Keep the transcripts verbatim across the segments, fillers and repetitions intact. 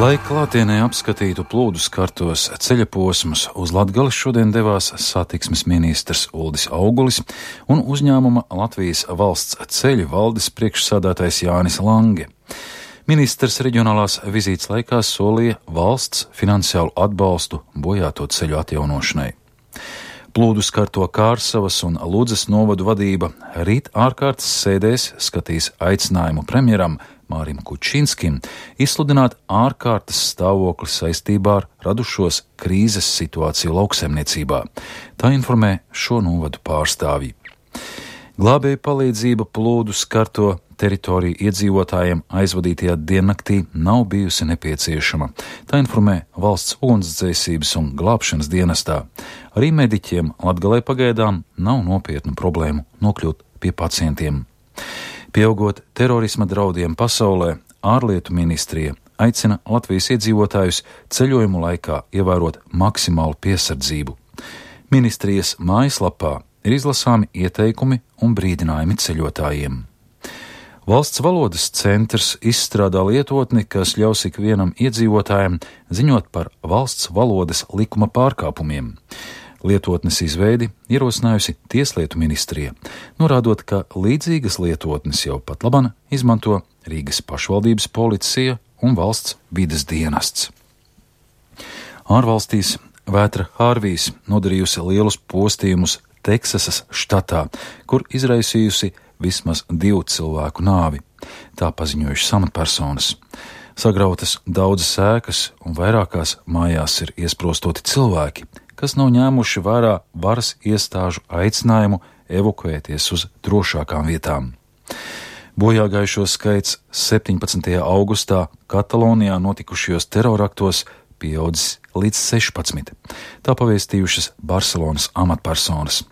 Lai klātienē apskatītu plūdu skartos ceļa posmus, uz Latgali šodien devās satiksmes ministrs Uldis Augulis un uzņēmuma Latvijas valsts ceļu valdes priekšsādātājs Jānis Lange. Ministrs reģionālās vizītes laikā solīja valsts finansiālu atbalstu bojāto ceļu atjaunošanai. Plūdu skarto Kārsavas un Ludzas novadu vadība rīt ārkārtas sēdēs skatīs aicinājumu premjeram Mārim Kučinskim izsludināt ārkārtas stāvokli saistībā ar radušos krīzes situāciju lauksaimniecībā. Tā informē šo novadu pārstāvji. Glābēju palīdzība plūdu skarto teritoriju iedzīvotājiem aizvadītajā diennaktī nav bijusi nepieciešama. Tā informē valsts ugunsdzēsības un glābšanas dienestā. Arī mediķiem Latgalē pagaidām nav nopietnu problēmu nokļūt pie pacientiem. Pieaugot terorisma draudiem pasaulē, ārlietu ministrija aicina Latvijas iedzīvotājus ceļojumu laikā ievērot maksimālu piesardzību. Ministrijas mājaslapā ir izlasāmi ieteikumi un brīdinājumi ceļotājiem. Valsts valodas centrs izstrādā lietotni, kas ļaus ikvienam iedzīvotājam ziņot par valsts valodas likuma pārkāpumiem. Lietotnes izveidi ierosinājusi Tieslietu ministrija, norādot, ka līdzīgas lietotnes jau pat laban izmanto Rīgas pašvaldības policija un valsts vides dienests. Ārvalstīs vētra Hārvijs nodarījusi lielus postījumus Teksasas štatā, kur izraisījusi vismaz divu cilvēku nāvi. Tā paziņojušas amatpersonas. Sagrautas daudzas ēkas un vairākās mājās ir iesprostoti cilvēki, kas nav ņēmuši vērā varas iestāžu aicinājumu evakuēties uz drošākām vietām. Bojāgājušo skaits septiņpadsmitajā augustā Katalonijā notikušajos teroraktos pieaudzis līdz sešpadsmit. Tā pavēstījušas Barcelonas amatpersonas.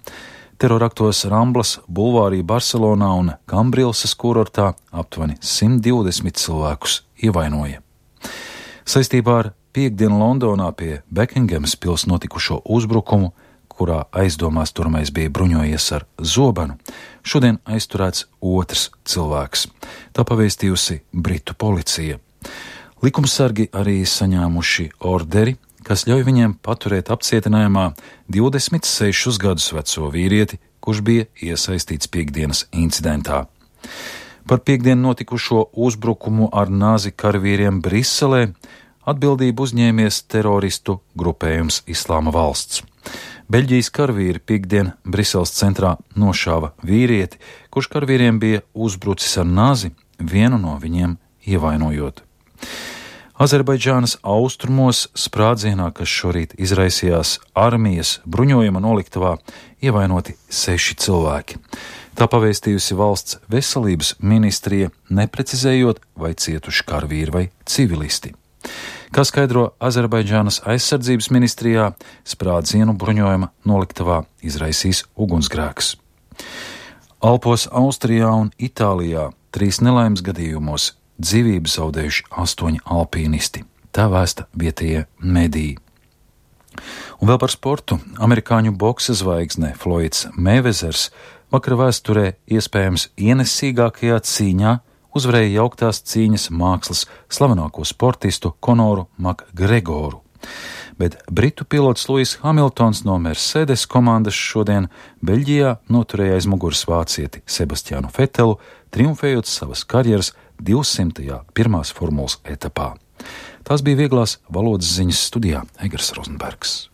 Teroraktos Ramblas bulvārī Barcelonā un Kambrilsas kurortā aptuveni simt divdesmit cilvēkus ievainoja. Saistībā ar piekdienu Londonā pie Bekingemas pils notikušo uzbrukumu, kurā aizdomās turamais bija bruņojies ar zobenu, šodien aizturēts otrs cilvēks. Tā pavēstījusi Britu policija. Likumsargi arī saņēmuši orderi, kas ļauj viņiem paturēt apcietinājumā divdesmit sešus gadus veco vīrieti, kurš bija iesaistīts piekdienas incidentā. Par piekdienu notikušo uzbrukumu ar nāzi karavīriem Briselē atbildību uzņēmies teroristu grupējums Islāma valsts. Beļģijas karavīri piekdien Briseles centrā nošāva vīrieti, kurš karavīriem bija uzbrucis ar nāzi, vienu no viņiem ievainojot. Azerbaidžānas austrumos sprādzienā, kas šorīt izraisījās armijas bruņojuma noliktavā, ievainoti seši cilvēki. Tā pavēstījusi valsts veselības ministrija, neprecizējot, vai cietuši karavīri vai civilisti. Kā skaidro Azerbaidžānas aizsardzības ministrijā, sprādzienu bruņojuma noliktavā izraisīs ugunsgrēks. Alpos Austrijā un Itālijā trīs nelaimes gadījumos dzīvību zaudējuši astoņi alpīnisti. Tā vēsta vietējie mediji. Un vēl par sportu. Amerikāņu boksa zvaigzne Floyds Meivezers vakar vēsturē iespējams ienesīgākajā cīņā uzvarēja jauktās cīņas mākslas slavenāko sportistu Konoru Makgregoru. Bet britu pilots Lewis Hamiltons no Mercedes komandas šodien Beļģijā noturēja aiz muguras vācieti Sebastianu Vetelu, triumfējot savas karjeras divsimtajā pirmās formulas etapā. Tās bija vieglās valodas ziņas studijā Egers Rozenbergs.